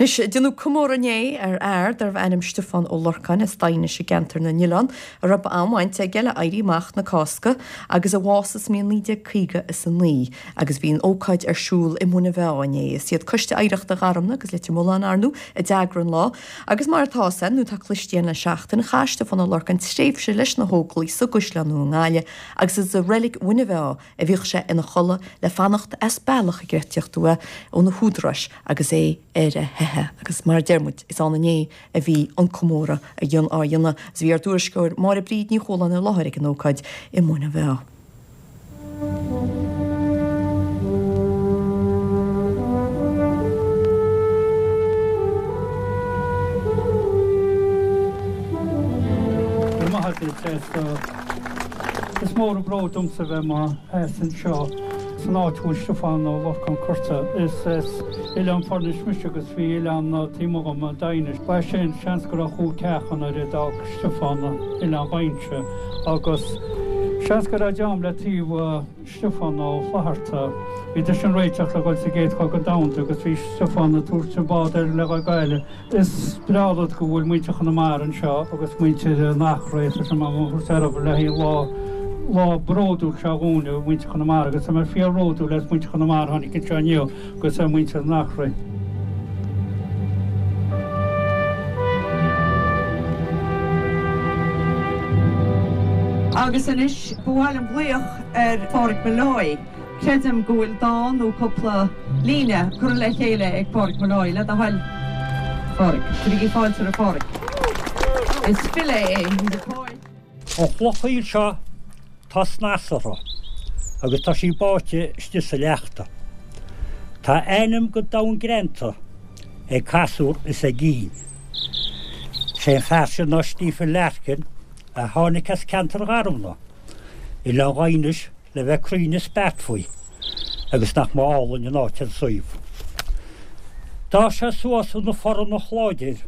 Anois, déanadh comóradh inné ar fhear darbh ainm Stiofán Ó Lorcáin as Daighinis i gCeantar na nOileán a raibh an-bhaint aige le Éirí Amach na Cásca agus a bhásaigh sa mbliain 1959 agus bhí an ócáid ar siúl i Muine Mheá inné. Is iad Coiste Oidhreachta Gharumna agus Leitir Mealláin, ar ndóigh, a d'eagraigh an lá agus mar atá 's againn nó atá cloiste againn le seachtain, chaith Stiofán Ó Lorcáin tréimhse leis na hÓglaigh sa gCaisleán Nua i nGaillimh agus is i reilig Mhuine Mheá a bhíodh sé ina chodladh le fanacht as bealach ag tíocht uaidh ó na húdaráis agus é ar a theitheadh. Agus mar a deir muid, is ann inné a bhí an comóradh á dhéanamh agus bhí ár dtuairisceoir Máire Bríd Ní Chualáin i láthair ag an ócáid i Muine Mheá. Go raibh maith agat, Is mór an bród domsa bheith i mo sheasamh anseo san áit a bhfuil Stiofán Ó Lorcáin curtha. Is as Oileán Foirnis mise agus bhí oileán taobh amuigh dhom, Daighinis. Ba é sin, seans go raibh chúl ceacha nuair a d'fhág Stiofán Oileán Dhaighinse agus seans go raibh dream le taobh Stiofán Ó Flatharta. Bhíodar sin réiteach le dhul sa gCéad Chogadh Domhanda agus bhí Stiofán ag tabhairt an bád air le dhul go Gaillimh. Is breá rud go bhfuil muintir Chonamara anseo agus muintir an Eachréidh, tá sé mar thabhairt le haghaidh lá, lá bródúil seo dhúinne, muintir Chonamara, agus tá mé fíor-bhródúil as muintir Chonamara a tháinig anseo inniu agus ar muintir an Eachréidh. Agus anois ba mhaith liom glaoch ar Phádraig Molloy. Creidim go bhfuil dán nó cúpla líne curtha le chéile ag Pádraig Molloy, le do thoil, Phádraig. Cuirigí fáilte roimh Phádraig. Is file é, he's a poet. An chloch aoil seo tá snas uirthi agus tá sí báite istigh sa leachta. Tá a ainm go domhain greanta ag casúr is ag ínn. Sé an fear sin ná Stephen Larkin a tháinig as ceantar Gharumna, Oileán Dhaighinis, le bheith cruinn is beart faoi, agus nach mba álainn an áit an suíomh. D'fhás sé suas ina phornach láidir,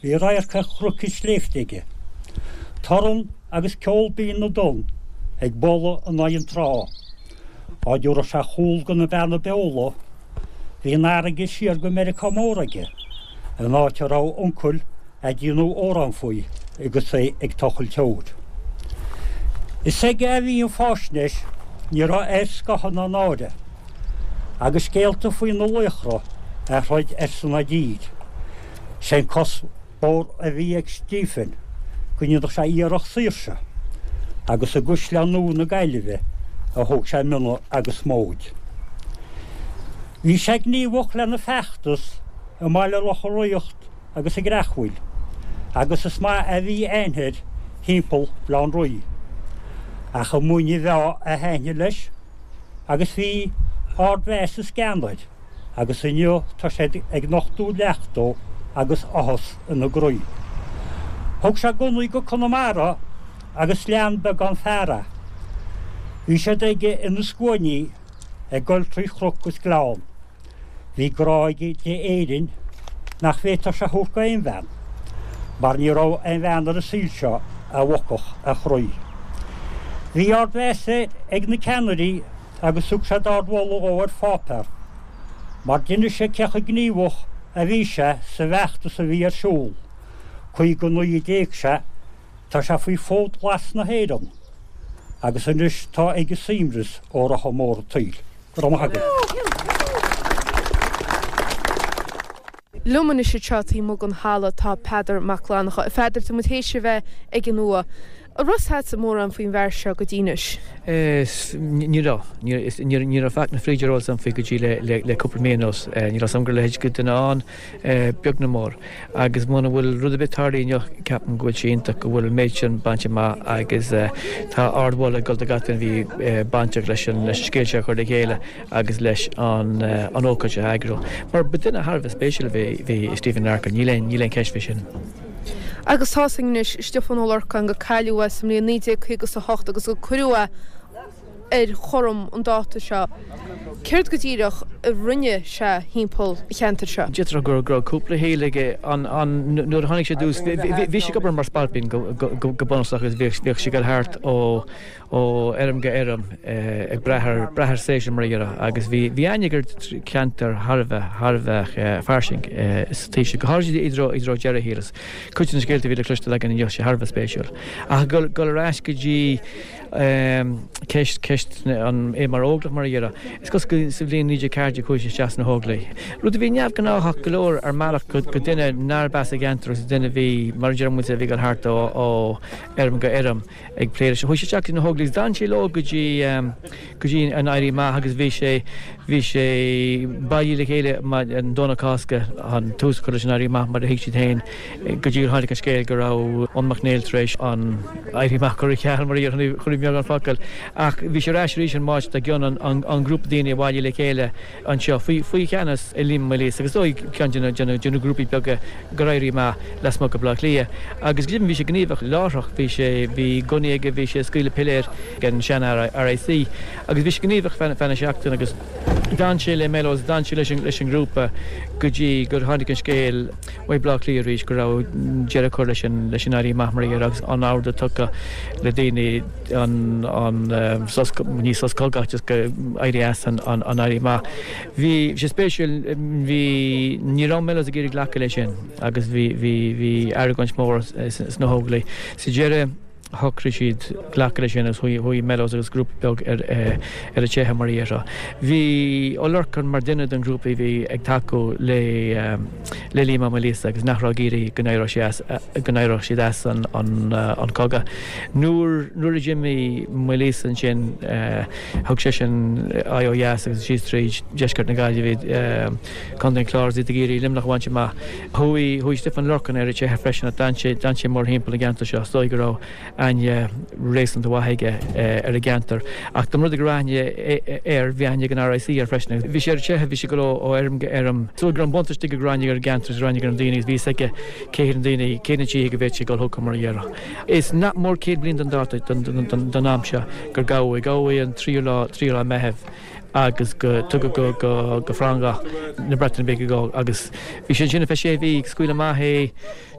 bhí radharc ar chnoic is sléibhte aige. Torann agus ceol binn na dtonn ag bualadh in aghaidh an trá. Á dtabharfadh sé chúl go na Beanna Beola, bhí an fharraige siar go Meiriceá Mór aige, an áit a raibh uncail a' déanamh amhrán faoi agus é ag tochailt óir. Is aige a bhí an fáisnéis, ní raibh air scáth ná náire, agus scéalta faoi na laochra a throid ar son a dtír. Sé'n cuspóir a bhí ag Stephen go ndéanfadh sé iarracht saoirse, agus i gCaisleán Nua na Gaillimhe a thóg sé mionna agus móid. Bhí sé gníomhach lena feachtas i mBaile Locha Riach agus i gCreachmhaoil, agus is maith a bhí aithne air thimpeall Bhaile Átha an Rí. Ach i Muine Mheá a thaitnigh leis, agus bhí ardmheas is gean air, agus inniu tá siad ag nochtadh leacht dó agus áthas ina gcroí. Thug sé gunnaí go Conamara agus lean beagán fear é. Bhí siad aige ina scuainí ag goil trí chnoc is gleann. Bhí grá aige d'Éirinn nach bhféadfadh sé a thabhairt go aon bhean, mar ní raibh aon bhean ar an saol seo a bhogfadh a chroí. Bhí ardmheas air ag na ceannairí agus thug siad ardmholadh dhó ar pháipéar, mar d'inis sé cé chomh gníomhach a bhí sé sa bhfeachtas a bhí ar siúl. 59 a d'éag sé, tá sé faoi Fód Glas na hÉireann, agus anois tá aige suaimhneas ó rotha mór an tsaoil. Go raibh maith agat. Liom anois anseo taobh amuigh den halla tá Peadar Mac Fhlannchadha. A Pheadair, tá muid théis a bheith ag an uaigh. An raibh 's agatsa mórán faoin bhfear seo go dtí anois? Ní raibh. Ní raibh faic na fríde ar eolas agam faoi go dtí le cúpla mí anuas. Ní raibh 's agam go raibh a leithéid de dhuine ann, beag ná mór. Agus muna bhfuil rud ar bith tarlaithe inniu, ceapaim go bhfuil sé iontach go bhfuil an méid sin bainte amach agus tá ardmholadh ag dul do gach duine a bhí bainteach leis an scéal seo a chur le chéile agus leis an ócáid a eagrú. Mar ba duine thar a bheith spéisiúil a bhí i Stephen Larkin, níl aon níl aon cheist faoi sin. Agus tá's againn anois, Stiofán Ó Lorcáin, gur cailleadh é sa mbliain 1958 agus gur cuireadh é ar chorm an dáta seo. Céard go díreach? a rinne sé thimpeall an cheantair seo? D'fhéadfadh go raibh cúpla shaol aige. Nuair a tháinig sé i dtús, bhí sé ag obair mar spailpín go bunúsach agus bhíodh sé ag dul thart ó fheirm go fheirm ag brath ar brath ar séasúr mar a déarfá agus bhí bhí aithne aige ar cheantar thar a bheith thar a bheith fairsing sa taobh sin, go háirithe i dtreo i dtreo deireadh a shaoil. Is cuid de na scéalta a bhí le cloisteáil againn inniu, sé thar a bheith spéisiúil. Ach dul ar ais go dtí ceist, ceist an, é mar óglach mar a déarfá. Is cosúil go sa bhliain 1914 chuaigh sé isteach sna hÓglaigh. Rud a bhí neamhghnáthach go leor ar mbealach go duine nárb as an gceantar agus duine a bhí, mar a deir muid, a bhí ag dul thart ó fheirm go fheirm ag plé leis. Chuaigh sé isteach sna hÓglaigh agus d'fhan sé leo go dtí, go dtí an Éirí Amach agus bhí sé, bhí sé bailithe le chéile an Domhnach Cásca chun tús a chur leis an Éirí Amach mar a thuig siad féin. Go dtí gur tháinig an scéal go raibh Eoin Mac Néill tar éis an Éirí Amach a chur ar ceal, mar a déarfá, i mbeagán focal. Ach bhí sé ar ais arís an Máirt dár gcionn, an grúpa daoine a bhailigh le chéile anseo faoi cheannas Liam Ó Maoilíosa agus is dóigh ceann de na grúpaí beaga gur Éirí Amach lasmuigh de Bhaile Átha Cliath. Agus go deimhin bhí sé gníomhach láithreach, bhí sé, bhí gunnaí aige, bhí sé ag scaoileadh piléir ag an sean-RIC agus bhí sé gníomhach feadh na seachtaine agus d'fhan sé le Mellows, d'fhan sé leis an ngrúpa go dtí gur tháinig an scéal. Uaidh Bleá Cliath arís go raibh deireadh curtha leis an leis an Éirí Amach mar a déarfá agus an ordú tugtha le daoine an an sos ní sos cogaidh ach just go éirí as an an an Éirí Amach. Bhí sé spéisiúil bhí ní raibh Mellows ag iarraidh glacadh leis sin agus bhí bhí bhí argóint mhór sna hÓglaigh. Sa deireadh shocraigh siad glacadh leis sin agus chuaigh Mellows agus grúpa beag ar ar a teitheadh mar a déarfá. Bhí Ó Lorcáin mar duine den ghrúpa a bhí ag tacú le le Liam Ó Maoilíosa agus nach raibh ag iarraidh go n-éireodh sé as go n-éireodh siad as an an cogadh. Nuair nuair a d'imigh Maoilíosa ansin thug seisean aghaidh ó dheas agus síos tríd deisceart na Gaillimhe, Contae an Chláir agus iad ag iarraidh Luimneach a bhaint amach. Chuaigh, chuaigh Stiofán Ó Lorcáin ar a teitheadh freisin ach d'fhan sé, d'fhan sé mórthimpeall an gceantar seo. Is dóigh go raibh aithne réasúnta mhaith aige ar an gceantar. Ach dá mba rud é go raibh aithne air, bhí aithne ag an RIC air freisin. Bhí sé ar a teitheadh, bhí sé ag dul ó fheirm go fheirm. Is dóigh go raibh an buntáiste aige go raibh aithne aige ar an gceantar agus raibh aithne aige ar na daoine agus bhí fhios aige cé hiad na daoine, cé na tithe go bhféadfadh sé dul chucu mar a déarfá. Is nach mór 100 bliain don dáta, don am seo gur gabhadh é. Gabhadh é an tríú lá, tríú lá Meitheamh. agus go tugadh go go go Frongoch na Breataine Bige go agus bhí sé ansin ar feadh sé mhí scaoileadh amach é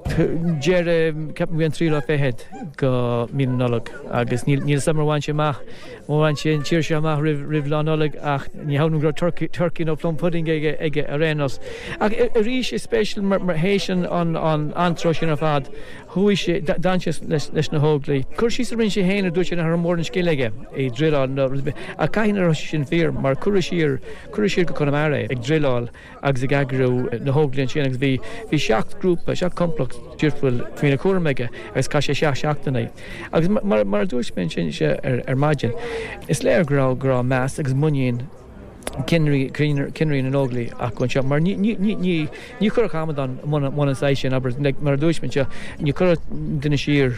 deireadh ceapaim bhí an tríú lá fichead go mí na Nollag agus níl níl 'fhios a'm ar bhain sé amach ar bhain sé an tír seo amach roimh roimh lá Nollag ach ní hamhlaidh go raibh turkey turkey nó plum pudding aige aige ar aon nós. Ach arís is spéisiúil mar mar théis an an an antró sin ar fad Chuaigh sé, d'fhan sé leis na hÓglaigh. Cur síos a rinne sé féin a dúirt sé nach raibh mórán scil aige i druileáil nó rud ar bith. Ach caithfidh nach raibh sé sin fíor mar cuireadh siar, cuireadh siar go Conamara é ag druileáil agus ag eagrú na hÓglaigh ansin agus bhí, bhí seacht grúpa, seacht complacht difriúil faoina chúram aige agus chaith sé seacht seachtaine. Agus mar, mar a dúirt mé ansin ar maidin, is léir go raibh, go raibh meas agus muinín, cinnirí na nÓglaigh acu anseo, mar ní chuirfeadh amadán i mbun an saghas sin, abair, mar a dúirt mé anseo, ní chuirfeadh duine siar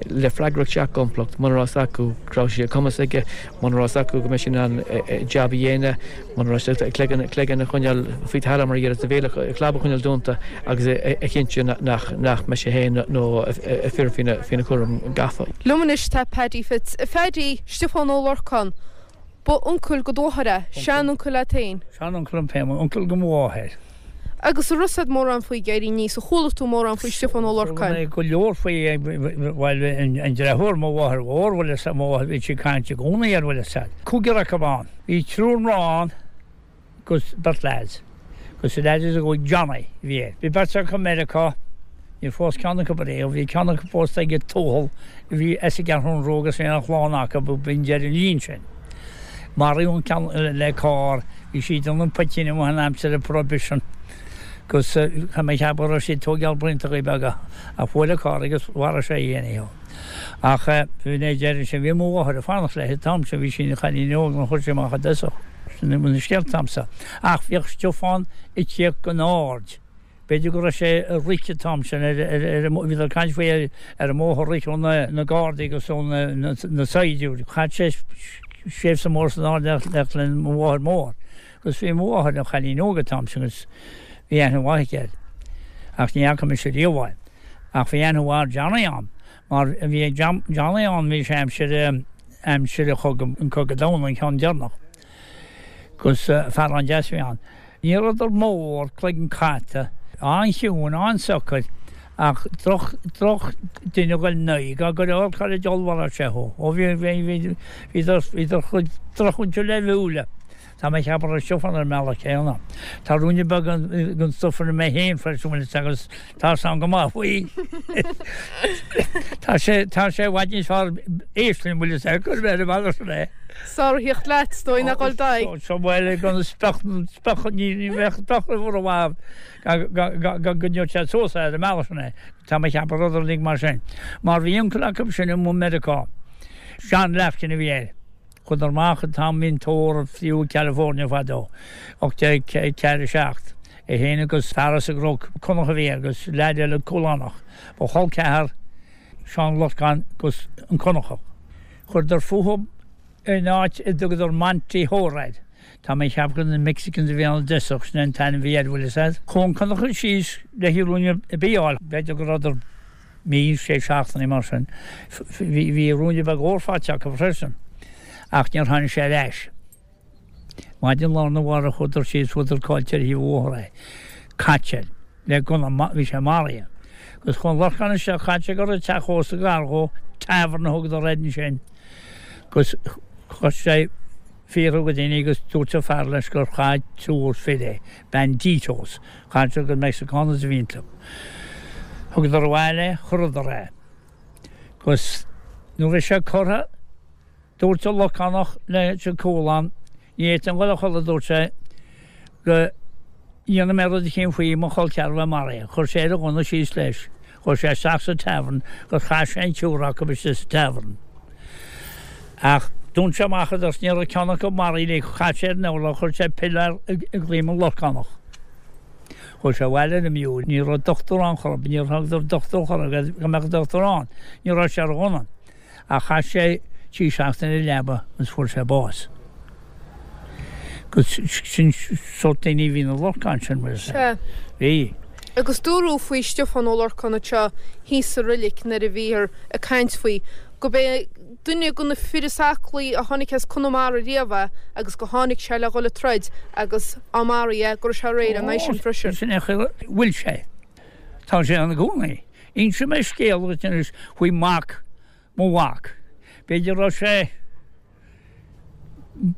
le freagracht seacht gcomplacht muna raibh 'fhios acu go raibh sé cumas aige, muna raibh 'fhios acu go mbeidh sé in ann jab a dhéanamh, muna raibh sé cloigeann cloigeann a choinneáil faoi talamh mar a déarfá, a bhéal a chlab a choinneáil dúnta agus a chinntiú nach mbeidh sé féin nó a fir faoina chúram gafa. Liom anois tá Paddy Fitz. A Phaddy, Stiofán Ó Lorcáin, Ba uncail go do mháthair é, seanuncail leat féin. Seanuncail liom féin, uncail go mo mháthair. Agus an raibh 'fhios a'd mórán faoi ag éirí aníos, ar chuala tú mórán faoi Stiofán Ó Lorcáin. Chuala mé go leor faoi, bhuel, an deartháir mo mháthair mhór, bhfuil 'fhios a'd, mo mháthair, bhí sí ag caint i gcónaí air, bhfuil 'fhios a'd. Cúigear acu ann. Bhí triúr mná ann. 'gus beirt leaids. 'Gus an leaid is óige Johnny a bhí air. Bhí beirt acu i Meiriceá, níor phós ceann acu ariamh, bhí ceann acu pósta ag Tuathal a bhí as an gCeathrún Rua agus bhí an chlann acu, b'in deireadh an lín sin. Maraíodh an ceann le carr, bhí siad ag déanamh poitín amuigh in aimsir an Prohibition 'gus tá mé ag ceapadh go raibh siad ag tóigeáil braontachaí beaga ach bhuail an carr agus mharaigh sé í anyhow. Ach bhí mé ag deireadh sin, bhí mo mháthair ag fanacht léi an t-am sin, bhí sí ina cailín óg nuair a chuir sí amach i dtosach. Sin na scéalta a'msa. Ach bhíodh Stiofán ag tíocht gon Aird. B'fhéidir go raibh sé ag rith an t-am sin ar, ar, ar, bhíodar ag caint faoi ar, ar an mbóthar rith ó na, na Gardaí agus ó na, na, na saighdiúirí. Chaith sé tréimhse mór san Aird le, le, le mo mháthair mhór. Agus bhí mo mháthair ina chailín óg an t-am sin agus bhí aithne mhaith aici air. Ach ní fhaca mise riamh é. Ach bhí aithne mhaith ar Johnny a'm, mar bhí Johnny ann, bhí sé aimsir, aimsir an chogadh, an cogadh domhanda, an ceann deireanach. Agus fear an-deas a bhí ann. Ní rabhadar mór, cloigeann cata, an-chiúin, an-socair, ach droch, droch duine a ghoil ina aghaidh, go leor cá raibh d'ollmharaigh sé thú. Ó bhí, bhí, bhí, bhíodar, bhíodar chomh drochmhúinte le bhuaile. Tá mé ag ceapadh go raibh Stiofán ar an mbealach céanna. Tá ruainne beag den stuif ionam mé féin freisin, bhfuil fhios agus tá 'fhios a'm go maith faoi. Tá sé, tá sé i bhfad níos fearr éist linn, bhfuil fhios a'd, cuir mé ar an mbealach sin é. 'S fearr a thíocht leat, is dóigh, ná dhul d'aghaidh. So, bhuel, gan speach, speach, ní, ní bheadh speach roimh mhaith gan go gcoinneodh sé suas é ar an mbealach sin é. Tá mé ag ceapadh rud uilig mar sin. Mar bhí uncail acu sin i Meiriceá. John Larkin a bhí air. Chuadar amach an t-am bhí an tórramh fiú i California fadó, 1847, é féin agus fear as an gCnoc, Conach a bhí air agus leaid eile Cúlánach. Ba chol ceathar Seán Lorcán agus an Conachach. Chuireadar fúthu in áit a dtugadar Monte Thoir air. Tá mé ag ceapadh gur na Mexicans a bhí ann i dtosach, sin é an t-ainm a bhí air, bhfuil fhios a'd. Chuaigh an Conachach síos le ruainne bídh a fháil, b'fhéidir go rabhadar mí, sé seachtainí mar sin. Bhí ruainne beag óir faighte acu freisin ach níor tháinig sé ar ais. Maidin lá arna mhárach chuadar síos fuaradar caillte ar thaobh an bhóthair é. Caite le gunna, bhí sé maraithe. Agus chuaigh an Lorcán isteach, chaith sé go raibh teach ósta gar dhó, tavern a thugadar air ansin. Agus chuir sé fiafraí de dhaoine agus dúirt an fear leis gur chaith triúr fir é. Banditos. Chaith sé gur Mexicanos a bhí iontu. Thugadar abhaile é, chuireadar é. Agus nuair a bhí sé curtha, dúirt an Lorcánach leis an Cúlán, ní fhéadfainn dhul a chodladh, dúirt sé, go ndéanfaidh mé rud eicínt faoi mo chol ceathrar a bheith maraithe. Chuir sé ar a ghunna síos leis. Chuaigh sé isteach sa tavern gur chaith sé an triúr acu istigh sa tavern. Ach dún sé amach iad agus ní raibh ceann acu maraithe uilig, chaith sé ar an urlár, chuir sé piléar i gcluain an Lorcánach. Chuaigh sé abhaile ar an miúil, ní raibh dochtúir ann chor ar bith, níor thugadar dochtúir chor ar bith, go mbeadh dochtúir ann, ní raibh sé ar ghunna. Ach chaith sé trí seachtaine ar an leaba agus fuair sé bás. Agus sin sórt daoine a bhí na Lorcáin sin, bhfuil fhios a'd. Sea. Bhí. Agus dúradh faoi Stiofán Ó Lorcáin anseo thíos sa roilig nuair a bhíothar ag caint faoi, go b'é duine de na fir is aclaí a tháinig as Conamara riamh é agus go tháinig sé le dhul ag troid agus á maraíodh é go raibh sé réidh lena aghaidh sin freisin. Sin é a bhfuil sé. Tá sé ann i gcónaí. Inseoidh mé scéal duit anois faoi mhac mo mhac. B'fhéidir go raibh sé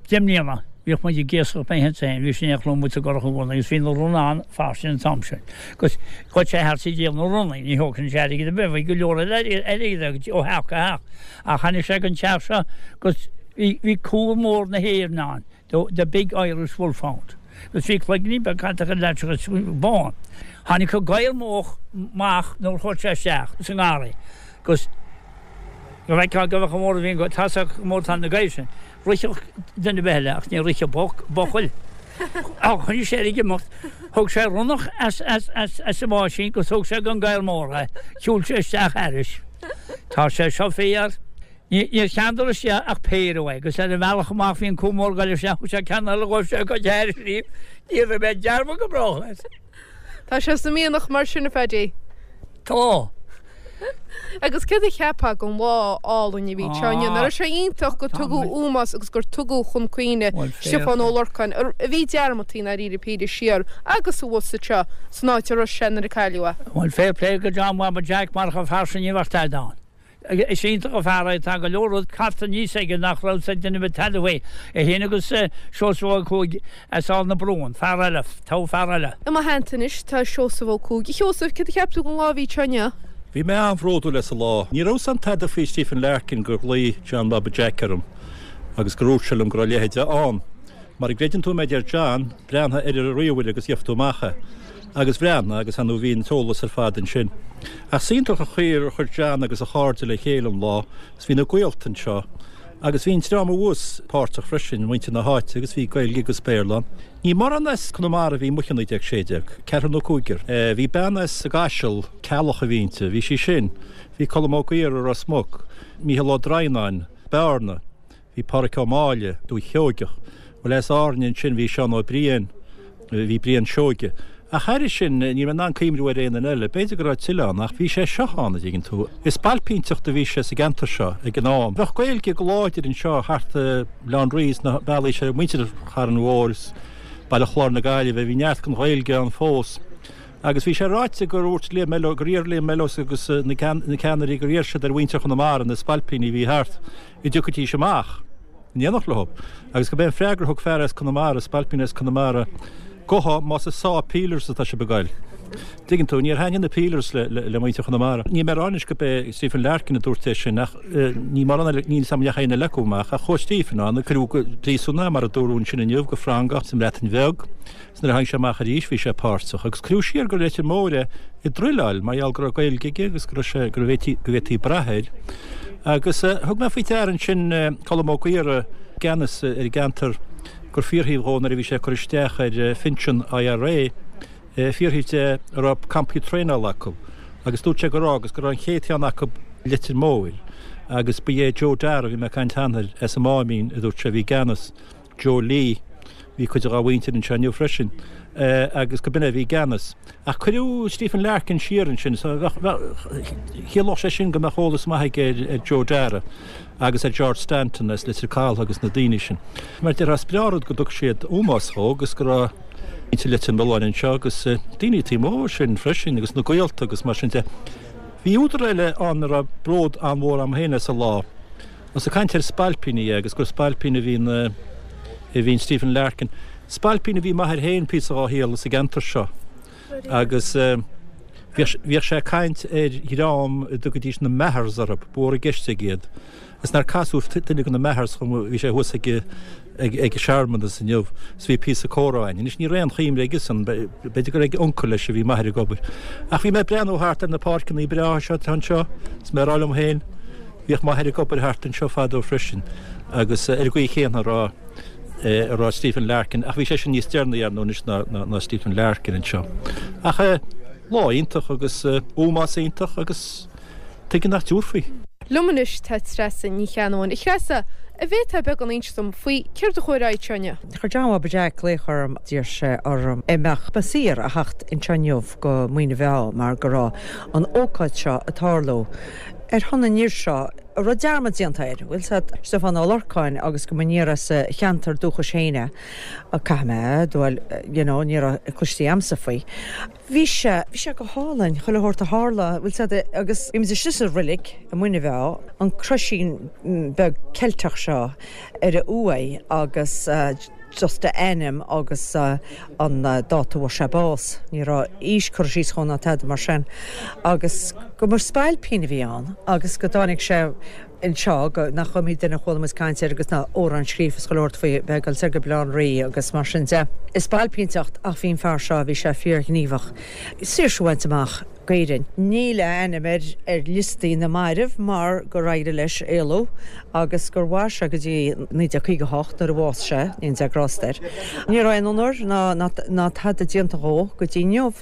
10 mbliana. Bhíodh muid ag iascach mé féin, bhí sé in éineacht liom sa gcurach i gcónaí agus bhí na ronnaí an-fhairsing an t-am sin. Agus ghoid sé thart ag díol na ronnaí, ní thógfainn sé airgead ar bith, bhí go leor airgid aige ó theach go theach. Ach tháinig sé go an teach seo agus bhí cú mór na hÉireann ann. The Big Irish Wolfhound. Agus bhí cloiginní beag catach ar leath agus bán. Tháinig an gadhar mór amach nuair a chuaigh sé isteach sa ngarraí agus go bhfeicfeá go bhfeicfeá mór a bhí an tá sé mór tá na gadhair sin. Rithfeadh duine ar bith eile ach ní rithfeadh buachaill. Choinnigh sé air ag imeacht. Thóg sé ronnach as as as as an bháisín agus thóg sé don gadhar mór é. Shiúil sé isteach thairis. Tá sé seo fíor. Níor cheann isteach ach péire uaidh, agus ar an bhealach amach bhí an cú mór ag goil isteach, thug sé ceann eile dhó, sé go dear sí, ní raibh mé dearmad go brách air. Tá sé sa mhianach mar sin, a Phaddy. Tá. Agus céard a cheapfá den lá álainn a bhí anseo inniu? Nach raibh sé iontach gur tugadh ómós agus gur tugadh chun cuimhne Stiofán Ó Lorcáin, a bhí dearmadta i ndáiríre píre siar agus abhus anseo san áit a raibh sé nuair a cailleadh é. Bhuel, fair play go John Bhaba Jack, marach an fear sin ní bheadh tada ann. Is iontach an fear é, tá go leor rud caite aníos aige nach raibh 's ag duine ar bith tada faoi. É féin agus Seosamh Ó Cuaig as Aill na Brún, fear eile, togha fear eile. I mo theannta anois tá Seosamh Ó Cuaig. A Sheosaimh, céard a cheap tú den lá a bhí anseo inniu? Bhí mé an-bhródúil as an lá. Ní raibh 's a'm tada faoi Stephen Larkin gur ghlaoigh John Bhaba Jack orm agus gur dhúirt sé liom go raibh a leithéid ann. Mara gcreideann tú mé a deir John, breathnaigh ar an ríomhaire agus gheobhaidh tú amach é. Agus bhreathnaigh agus ar ndóigh bhí an t-eolas ar fad ansin. Ach is iontach an chaoi ar chuir John agus a chairde le chéile an lá agus bhí na gaolta anseo agus bhí an dream abhus páirteach freisin, muintir na háite agus bhí Gaeilge agus Béarla ann. Ní mórán as Conamara a bhí amuigh i 1916, ceathrar nó cúigear. Bhí bean as an gCaiseal, Ceallach a bhí inti, bhí sí sin. Bhí Colm Ó Gaora, Ros Muc, Mícheál Ó Droighneáin, Bearna. Bhí Pádhraic Ó Máille, Dúiche Sheoigeach. Bhuel, as Árainn ansin bhí Seán Ó Briain, bhí Brian Seoige. Ach thairis sin, ní raibh mé in ann cuimhniú ar aon duine eile. B'fhéidir go raibh tuilleadh ann, ach bhí sé seo ann, a dtuigeann tú. Is spailpínteacht a bhí sé sa gceantar seo ag an am. Bheadh Gaeilge go láidir anseo thart i mBaile Átha an Rí sna bealaí seo, muintir Charn Mhóir is Baile Chláir na Gaillimhe, bhí neart den Ghaeilge ann fós. Agus bhí sé ráite gur dhúirt Liam Mellows, gur iarr Liam Mellows agus na ceannairí, gur iarr siad ar mhuintir Chonamara, na spailpíní a bhí thart, an dtiocfaidís amach in éineacht leo. Agus gurb é an freagra a thug fear as Conamara, spailpín as Conamara, Gabhadh más ag sá peelers atá sibh ag goil. Tuigeann tú, níor thaitnigh na peelers le muintir Chonamara. Níl mé ag rá anois gurb é Stephen Larkin a dúirt é sin ach ní mórán eile, níl 'fhios a'm an ndeachaigh aon eile acu amach ach chuaigh Stephen ann, cuireadh go príosún é mar a dúradh ansin inniu, go Frongoch sa mBreatain Bheag. 'S nuair a tháinig sé amach arís bhí sé páirteach agus cuireadh siar go Leitir Móir é i dtruileáil mar gheall go raibh Gaeilge aige agus go raibh sé, go bhféadfaí, go bhféadfaí brath air. Agus thug mé faoi deara ansin Colm Ó Gaora i gceannas ar an gceantar gur fiafraíodh dhó nuair a bhí sé ag cur isteach ar phinsean IRA, fiafraíodh de an raibh campaí traenála acu agus dúirt sé go raibh agus go raibh an chéad cheann acu i Leitir Móir agus ba é Joe Darragh a bhí mé ag caint cheana air as an Máimín a dúirt sé a bhí i gceannas. Joe Lee, bhí cuid dhá mhuintir anseo inniu freisin, agus go b'in é a bhí i gceannas. Ach cuireadh Stephen Larkin siar ansin, so bheadh, bheadh, chiallódh sé sin go mbeadh eolas maith aige ar Joe Darragh agus ar George Stanton as Leitir Caltha agus na daoine sin. Mar déarfá, is breá an rud go dtug siad ómós dhó agus go raibh muintir Leitir Mealláin anseo agus daoine taobh amuigh sin freisin agus na gaolta agus mar sin de. Bhí údar eile ann a raibh bród an-mhór a'm féin as an lá. Ós ag caint ar spailpíní é agus gur spailpín a bhí in a bhí in Stephen Larkin. Spailpín a bhí m'athair féin píosa dhá shaol sa gceantar seo agus bhíodh sé ag caint ar dhream a dtugaidís na Mahers orthu, ba mhór i gceist aige iad. Is nár casadh duine de na Mahers chugam, bhí sé thuas ag ag an searmanas inniu is bhí píosa comhrá againn. Anois ní raibh aon chuimhne aigesan, b'fhéidir gur ag uncail leis a bhí m'athair ag obair. Ach bhí mé ag breathnú thart ar na páirceanna breátha seo atá anseo is mé ag rá liom féin, Bhíodh m'athair ag obair thart anseo fadó freisin agus ar an gcaoi chéanna a raibh a raibh Stephen Larkin, ach bhí seisean níos deireanaí ar ndóigh anois ná ná Stephen Larkin anseo. Ach lá iontach agus ómós iontach agus tuige nach dtabharfaí. Liom anois tá Treasa Ní Cheannabháin. A Threasa, an bhféadfá beagán a inse dom faoi céard a chuaigh ar aghaidh anseo inniu? Chuir John Bhaba Jack glaoch orm, d'iarr sé orm an mbeadh mé saor a theacht anseo inniu go Muine Mheá mar go raibh an ócáid seo ag tarlú. ar shon an fhir seo a raibh dearmad déanta air, bhfuil 's a'd, Stiofán Ó Lorcáin agus go mba aniar as a cheantar dúchais féin é. Caithfidh mé a admháil, you know, ní raibh cloiste a'msa faoi. Bhí sé, bhí sé go hálainn, chuile shórt a tharla, bhfuil 's a'd, agus bhí muid istigh sa roilig i Muine Mheá, an croisín beag Ceilteach seo ar a uaigh agus, just a ainm agus an dáta a fuair sé bás. Ní raibh aois curtha síos dhó ná tada mar sin. Agus go mba spailpín a bhí ann agus go dtáinig sé anseo, go, nach iomaí duine a chuala muid caint air agus na amhráin scríofa is chuile shórt faoi, bheith ag dul soir go Baile Átha an Rí agus mar sin de. Is spailpínteacht ach bhí an fear seo, bhí sé fíorghníomhach. Saoirse a bhaint amach d'Éirinn. Níl a ainm ar ar liostaí na mairbh mar gur éirigh leis éalú agus gur mhair sé go dtí 1958 nuair a bhásaigh sé, go ndéana Dia grásta air. Ní raibh aon onóir ná ná tada déanta dhó go dtí inniu.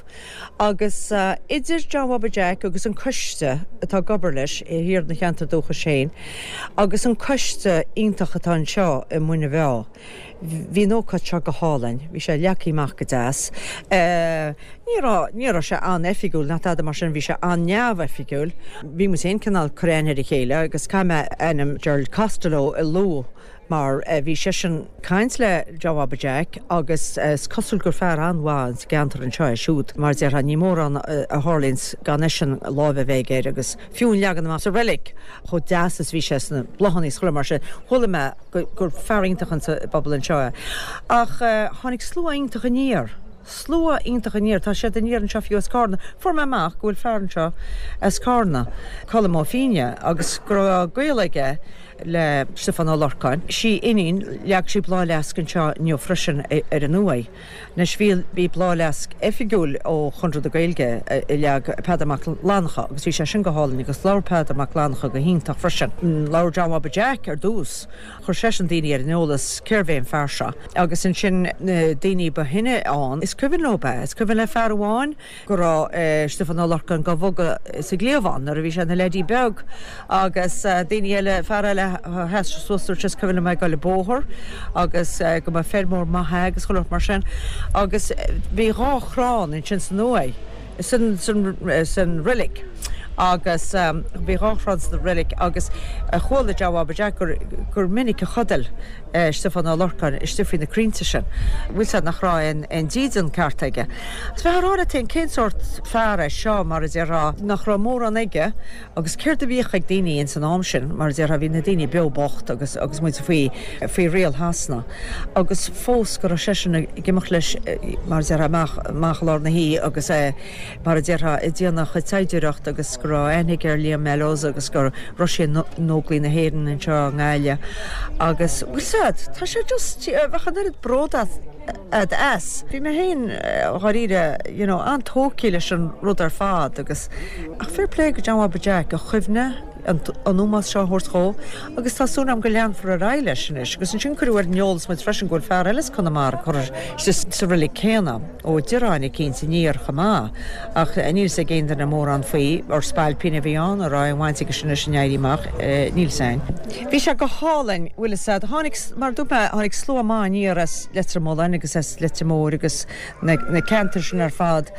Agus idir John Bhaba Jack agus an coiste atá ag obair leis thiar ina cheantar dúchais féin agus an coiste iontach atá anseo i Muine Mheá, Bhí an ócáid seo go hálainn. Bhí sé leagtha amach go deas. Ní raibh, ní raibh sé an-oifigiúil ná tada mar sin, bhí sé an-neamhoifigiúil. Bhí muid féin cineál ag cur aithne ar a chéile agus caithfidh mé ainm Gerald Costello a lua mar bhí seisean ag caint le John Bhaba Jack agus is cosúil gur fear an-mhaith sa gceantar anseo é siúd mar déarfá ní mórán a tharlaíonns gan eisean láimh a bheith aige air agus fiú an leagan amach sa reilig chomh deas is bhí sé sna bláthanna is chuile mar sin. Chuala mé gur fear iontach insa bpobal anseo é. Ach tháinig slua iontach aniar. Slua iontach aniar. Tá siad aniar anseo fiú as Carna. Fuair mé amach go bhfuil fear anseo as Carna, Colm Ó Fíne, agus go raibh gaol aige le Stiofán Ó Lorcáin. Sí iníon, leag sí bláthfhleasc anseo inniu freisin ar an uaigh. Anois bhí, bhí bláthfhleasc oifigiúil ó Chonradh na Gaeilge a leag Peadar Mac Fhlannchadha agus bhí sé sin go hálainn agus labhair Peadar Mac Fhlannchadha go hiontach freisin. Labhair John Bhaba Jack ar dtús, chuir seisean daoine ar an eolas cérbh é an fear seo agus ansin na daoine ba shine ann, is cuimhin leo é, is cuimhin le fear amháin go raibh Stiofán Ó Lorcáin dhá bhogadh sa gcliabhán nuair a bhí sé ina leaidí beag agus daoine eile, fear eile. sheas sé suas dúirt sé is cuimhin liom é ag goil an bóthar agus go mba feirmeoir maith é agus chuile shórt mar sin agus bhí dhá chrann ansin san uaigh, san, san, san reilig agus bhí dhá chrann sa reilig agus chuala John Bhaba Jack gur, gur minic a chodail Stiofán Ó Lorcáin istigh faoi na crainnte sin. Bhfuil 's a'd nach raibh aon, aon dídean ceart aige. Agus bheifeá ag rá leat féin cén sórt fear é seo mar a déarfá nach raibh mórán aige Agus céard a bhíodh ag daoine ins an am sin, mar a déarfá, bhí na daoine beo bocht agus agus muid faoi, faoi riail Shasana. Agus fós go raibh seisean ag imeacht leis, mar a déarfá, amach, amach i lár na hoíche agus é, mar a déarfá, ag déanamh a chuid saighdiúireacht agus go raibh aithne aige ar Liam Mellows agus go raibh sé in Óglaigh na hÉireann anseo i nGaillimh. Agus, bhfuil 's a'd, tá sé just, bheadh an oiread bród as. as. Bhí mé féin, dháiríre, you know, an-tógtha leis an rud ar fad agus, ach fair play go John Bhaba Jack, a chuimhne, an ómós seo a thabhairt dhó agus tá súil agam go leanfar ar aghaidh leis anois. Agus ansin cuireadh ar an eolas muid freisin go bhfuil fear eile as Conamara curtha sa reilig céanna, Ó Direáin eicínt aniar chomh maith, ach níl 'fhios ag aon duine mórán faoi, ar spailpín a bhí ann, an raibh aon bhaint aige sin leis an Éirí Amach, níl 'fhios a'inn. Bhí sé go hálainn, bhfuil 'fhios a'd. Tháinig, mar a dúirt mé, tháinig slua maith aniar as Leitir Mealláin agus as Leitir Móir agus na ceantair sin ar fad.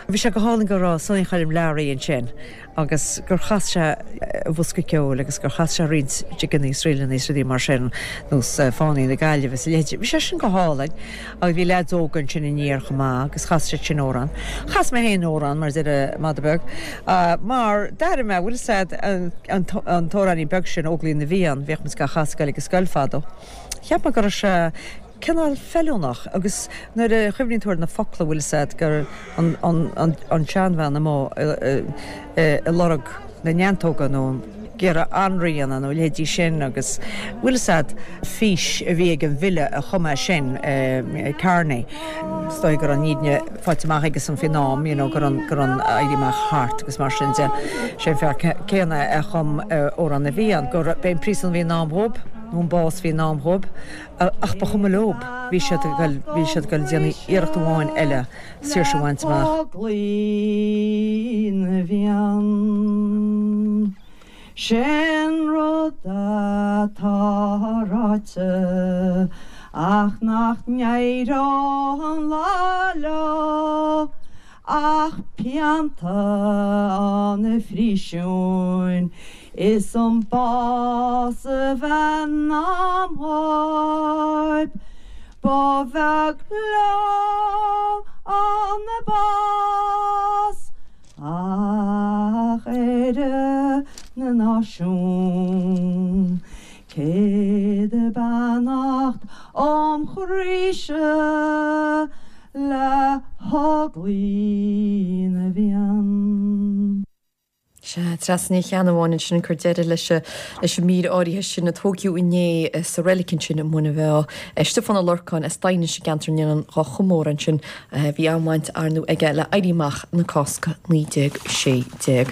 Bhí sé go hálainn go raibh Sonny Choilm Learaí ansin agus gur chas sé a bhosca ceoil agus gur chas sé roinnt jigeanna is ríleanna is rudaí mar sin, nós Fánaí na Gaillimhe is a leithéid. Bhí sé sin go hálainn agus bhí leaids óga ansin aniar chomh maith agus chas siad sin amhrán. Chas mé féin amhrán, mar a deir an madadh beag, mar d'airigh mé, bhfuil 'fhios a'd, an t-amhráinín beag sin, Óglaigh na bhFiann, bhíodh muid á chasadh ag goil ag an scoil fadó. Cheap mé go raibh sé cineál feiliúnach agus nuair a chuimhníonn tú ar na focla, bhfuil 'fhios a'd, gur an tseanbhean amuigh ag lorg na neantóga nó ag iarraidh anraith a dhéanamh nó a leithéidí sin agus bhfuil 'fhios a'd, fís a bhí ag an bhfile a chum é sin, Kearney. Is dóigh go raibh an fhírinne faighte amach aigesan faoin am, you know, go raibh go raibh an Éirí Amach thart agus mar sin de. Sé an fear céanna a chum Amhrán na bhFiann, gur b'é an príosún a bhí i ndán dhóibh, nó an bás a bhí i ndán dhóibh, ach ba chuma leob, bhí siad ag goil, bhí siad ag goil ag déanamh iarracht amháin eile saoirse a bhaint amach. Óglaigh na bhFiann. Sin rud atá ráite ach nach n-éireodh an lá leo ach pianta an phríosúin is an bás a bheith i ndán dhóibh. Ba bheag leo an bás. Ach Éire na Náisiún, 100 beannacht óm chroíse le hÓglaigh na bhFiann. Sea, Treasa Ní Cheannabháin ansin ag cur deireadh leis leis an mír áirithe sin a tógadh inné sa reilig ansin i Muine Mheá. Stiofán Ó Lorcáin as Daighinis i gceantar na nOileán dhá chomóradh ansin. Bhí an-bhaint ar ndóigh aige le Éirí Amach na Cásca 1916.